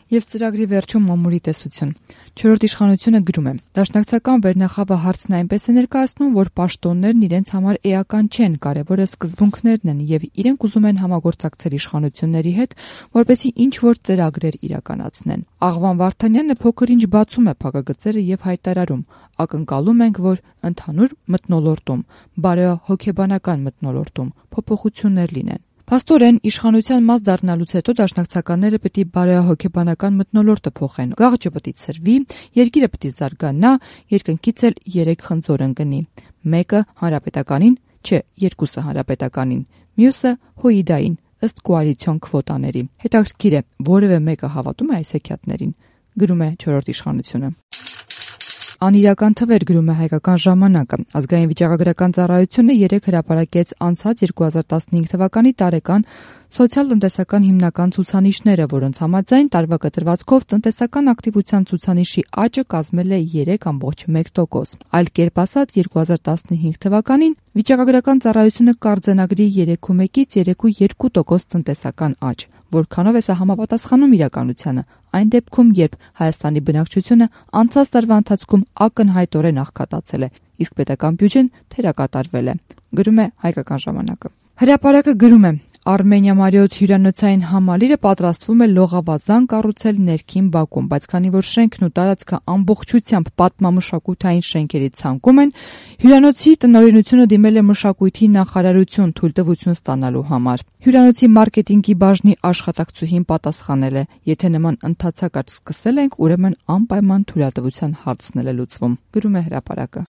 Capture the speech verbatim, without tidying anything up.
Եվ ծրագրի վերջում մամուլի տեսություն։ Չորրորդ իշխանությունը գրում է. Դաշնակցական վերնախավը հարցն այնպես է ներկայացնում, որ պաշտոններն իրենց համար էական չեն, կարևորը սկզբունքներն են, եւ իրենք ուզում են համագործակցել իշխանությունների հետ, որպեսզի ինչ որ ծրագրեր իրականացնեն։ Աղվան Վարդանյանը փոքր-ինչ բացում է փակագծերը եւ հայտարարում. ակնկալում ենք, որ ընդհանուր մթնոլորտում, բարոյահոգեբանական մթնոլորտում փոփոխություններ լինեն։ Փաստորեն, իշխանության մաս դառնալուց հետո դաշնակցականները պետք է բարոյահոգեբանական մթնոլորտը փոխեն։ Գաղջը պետք է ցրվի, երկիրը պետք է զարգանա, երկնքից էլ երեք խնձոր ընկնի։ Մեկը հանրապետականին, չէ, երկուսը հանրապետականին, մյուսը հույդային, ըստ կոալիցիոն քվոտաների։ Հետաքրքիր է, որևէ մեկը հավատում է այս հեքիաթներին, գրում է չորրորդ իշխանությունը։ Անիրական թվեր, գրում է Հայկական ժամանակը։ Ազգային վիճակագրական ծառայությունը երեկ հրապարակեց անցած երկու հազար տասնհինգ թվականի տարեկան սոցիալ-տնտեսական հիմնական ցուցանիշները, որոնց համաձայն տարվա կտրվածքով տնտեսական ակտիվության ցուցանիշի աճը կազմել է երեք կόμma մեկ տոկոս։ Այլ կերպ ասած, երկու հազար տասնհինգ թվականին վիճակագրական ծառայությունը կարձանագրի երեք կόμma մեկից երեք կόμma երկու տոկոս տնտեսական աճ, որքանով է սա համապատասխանում իրականությանը, այն դեպքում, երբ Հայաստանի բնակչությունը անցած տարվա ընթացքում ակնհայտորեն աղքատացել է, իսկ պետական բյուջեն թերակատարվել է, գրում է Հայկական ժամանակը։ Հրապարակը գրում է. Արմենիա Մարիոթ հյուրանոցային համալիրը պատրաստվում է լողավազան կառուցել ներքին բակում, բայց քանի որ շենքն ու տարածքը ամբողջությամբ պատմամշակութային շենքերի ցանկում են, հյուրանոցի տնօրինությունը դիմել է մշակույթի նախարարություն թույլտվություն ստանալու համար։ Հյուրանոցի մարքեթինգի բաժնի աշխատակցուհին պատասխանել է. եթե նման ընթացակարգ սկսել ենք, ուրեմն անպայման թույլատվության հարցն էլ է լուծվում, գրում է հրապարակը։